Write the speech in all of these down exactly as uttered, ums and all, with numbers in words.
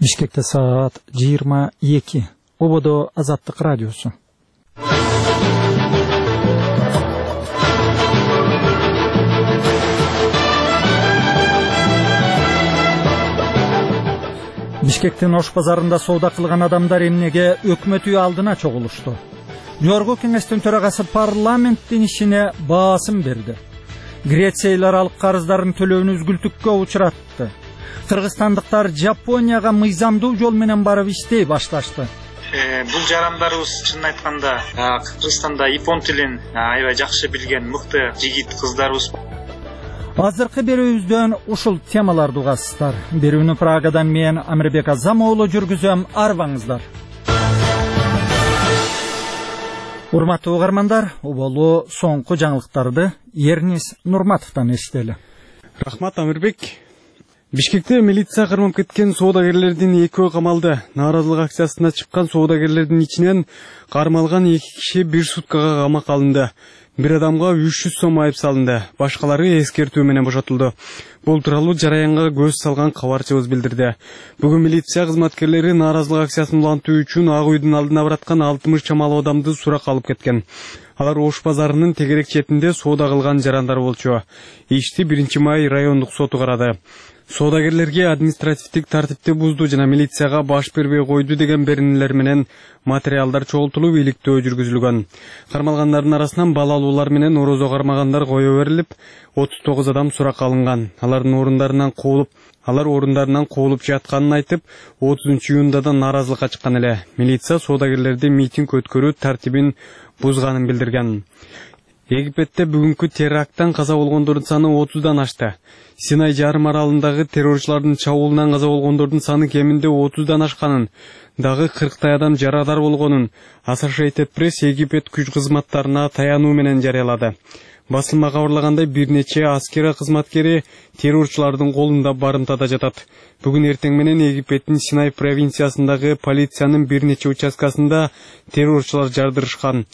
Бишкекте саат жыйырма эки. Ободо Азаттык радиосу. Бишкектин Ош базарында соода кылган адамдар эмнеге өкмөт үйү алдына чогулушту? Жогорку кеңештин төрагасы парламенттин ишине баасым берди. Греция эл аралык карыздарын төлөөнү үзгүлтүккө учуратты. Кыргызстандыктар Жапонияга мыйзамдуу жол менен барып иштей башташты. Бул жарандарыбыз чынын айтканда Кыргызстанда япон тилин аябай жакшы билген мыкты жигит кыздарыбыз. Азыркы берүүбүздөн ушул темаларды угасыздар. Берүүнү Прагадан мен Амирбек Азам уулу жүргүзөм. Арбаңыздар. Урматтуу угармандар, оболу соңку жаңылыктарды Эрнис Нурматовдон эстели. Рахмат, Амирбек. Бишкекте милиция кармап кеткен соодагерлердин экөө камалды. Нааразылык акциясына чыккан соодагерлердин ичинен кармалган эки киши бир суткага камакка алынды. Бир адамга үч жүз сом айып салынды. Башкалары эскертүү менен бошотулду. Бул тууралуу жараянга көз салган кабарчыбыз билдирди. Бүгүн милиция кызматкерлери нааразылык акциясын улантуу үчүн Ак үйдүн алдына бараткан алтымыш чамалуу адамды суракка алып кеткен. Алар Ош базарынын тегерек четинде соода кылган жарандар болчу. Ишти биринчи май райондук соту карады. Соодагерлерге административдик тартипти бузду жана милицияга баш бербей койду деген беренелер менен материалдар чогултулуп иликтөө жүргүзүлгөн. Кармалгандардын арасынан балалуулар менен орозо кармагандар кое берилип, отуз тогуз адам суракка алынган. Алардын орундарынан куулуп, алар орундарынан куулуп жатканын айтып, отузунчу июнда да нааразылыкка чыккан эле. Милиция соодагерлерди митинг өткөрүү тартибин бузганын билдирген. Египетте бүгүнкү теракттан каза болгондордун саны отуздан ашты. Синай жарым аралындагы террорчулардын чабуулунан каза болгондордун саны кеминде отуздан ашканын, дагы кырктай адам жарадар болгонун Associated Press Египет күч кызматтарына таянуу менен жарыялады. Басылма кабарлагандай бир нече аскера кызматкери террорчулардын колунда барымтада жатат. Бүгүн эртең менен Египеттин Синай провинциясындагы полициянын бир нече участкасында террорчулар жардырышкан.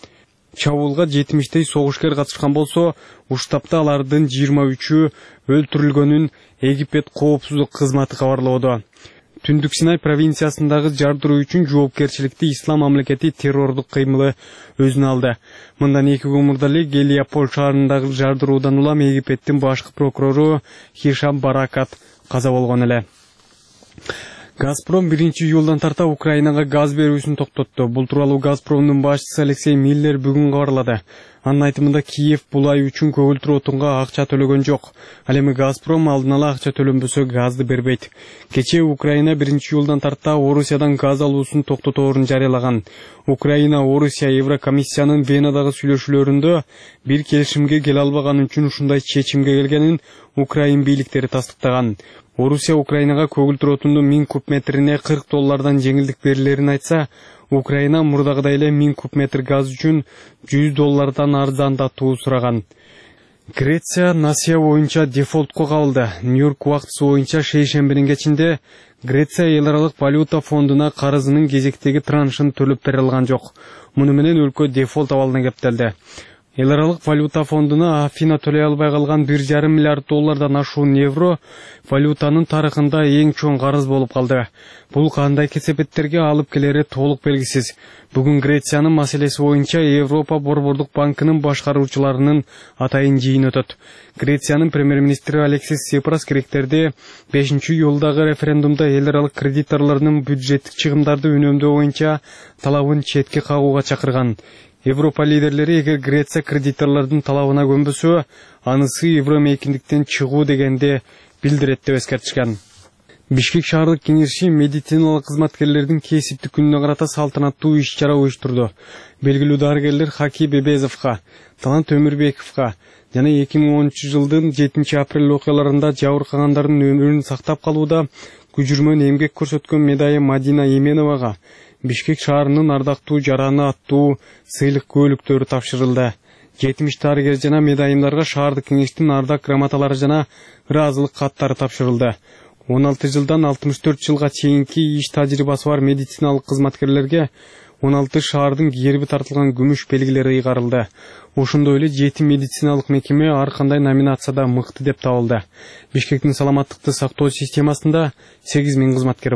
Чабуулга жетимиштей согушкер катышкан болсо, уштапта алардын жыйырма үчү өлтүрүлгөнүн Египет коопсуздук кызматы кабарлоодо. Түндүк Синай провинциясындагы жардыруу үчүн жоопкерчиликти Ислам мамлекети террордук кыймылы өзүнө алды. Мындан эки күн мурда эле Гелиополь шаарындагы жардыруудан улам Египеттин башкы прокурору Хишам Баракат каза болгон эле. Газпром биринчи июлдан тарта Украинага газ берүүсүн токтотту. Бул тууралуу Газпромдун башчысы Алексей Миллер бүгүн кабарлады. Анын айтымында Киев бул ай үчүн көгүлтүр отунга акча төлөгөн жок. Ал эми Газпром алдын ала акча төлөнбөсө газды бербейт. Кечээ Украина биринчи июлдан тарта Орусиядан газ алуусун токтоторун жарыялаган. Украина, Орусия, Еврокомиссиянын Венадагы сүйлөшүүлөрүндө бир келишимге келе албаган үчүн ушундай чечимге келгенин Украин бийликтери тастыктаган. Орусия Украинага көгүлтүр отундун миң куб метрине кырк доллардан жеңилдик берилерин айтса, Украина мурдагыдай эле миң куб метр газ үчүн жүз доллардан арзандатуу сураган. Греция Насия боюнча дефолтко кабылды. Нью-Йорк убактысы боюнча шейшембинин кечинде Греция эл аралык валюта фондуна карызынын кезектеги траншын төлөп бере алган жок. Муну менен өлкө дефолт абалына кептелди. Эл аралык валюта фондуна Афина төлөй албай калган бир жарым миллиард доллардан ашуун евро валютанын тарыхында эң чоң карыз болуп калды. Бул кандай кесепеттерге алып келери толук белгисиз. Бүгүн Грециянын маселеси боюнча Европа Борбордук банкынын башкаруучуларынын атайын жыйыны өтөт. Грециянын премьер-министри Алексис Сипрас керектерди бешинчи июлдагы референдумда эл аралык кредиторлордун бюджеттик чыгымдарды үнөмдөө боюнча талабын четке кагууга чакырган. Европа лидерлери эгер Греция кредиторлордун талабына көнбөсө, анысы евромейкиндиктен чыгуу дегенди билдирет деп эскертишкен. Бишкек шаардык кеңеши медициналык кызматкерлердин кесиптик күнүнө карата салтанаттуу иш-чара уюштурду. Белгилүү дарыгерлер Хаки Бебезовго, Талант Өмүрбековго жана эки миң онунчу жылдын жетинчи апрель окуяларында жабыркагандардын өмүрүн сактап калууда күжүрмөн эмгек көрсөткөн медайы Мадина Именовага Бишкек шаарынын ардактуу жараны аттуу сыйлык көөлүктөрү тапшырылды. жетимиш дарыгер жана медайымдарга шаардык кеңештин ардак грамоталары жана ыраазылык каттары тапшырылды. он алты жылдан алтымыш төрт жылга чейинки иш тажрыйбасы бар медициналык кызматкерлерге он алты шаардын герби тартылган күмүш белгилери ыйгарылды. Ошондой эле жети медициналык мекеме ар кандай номинацияда мыкты деп табылды. Бишкектин саламаттыкты сактоо системасында сегиз миң кызматкер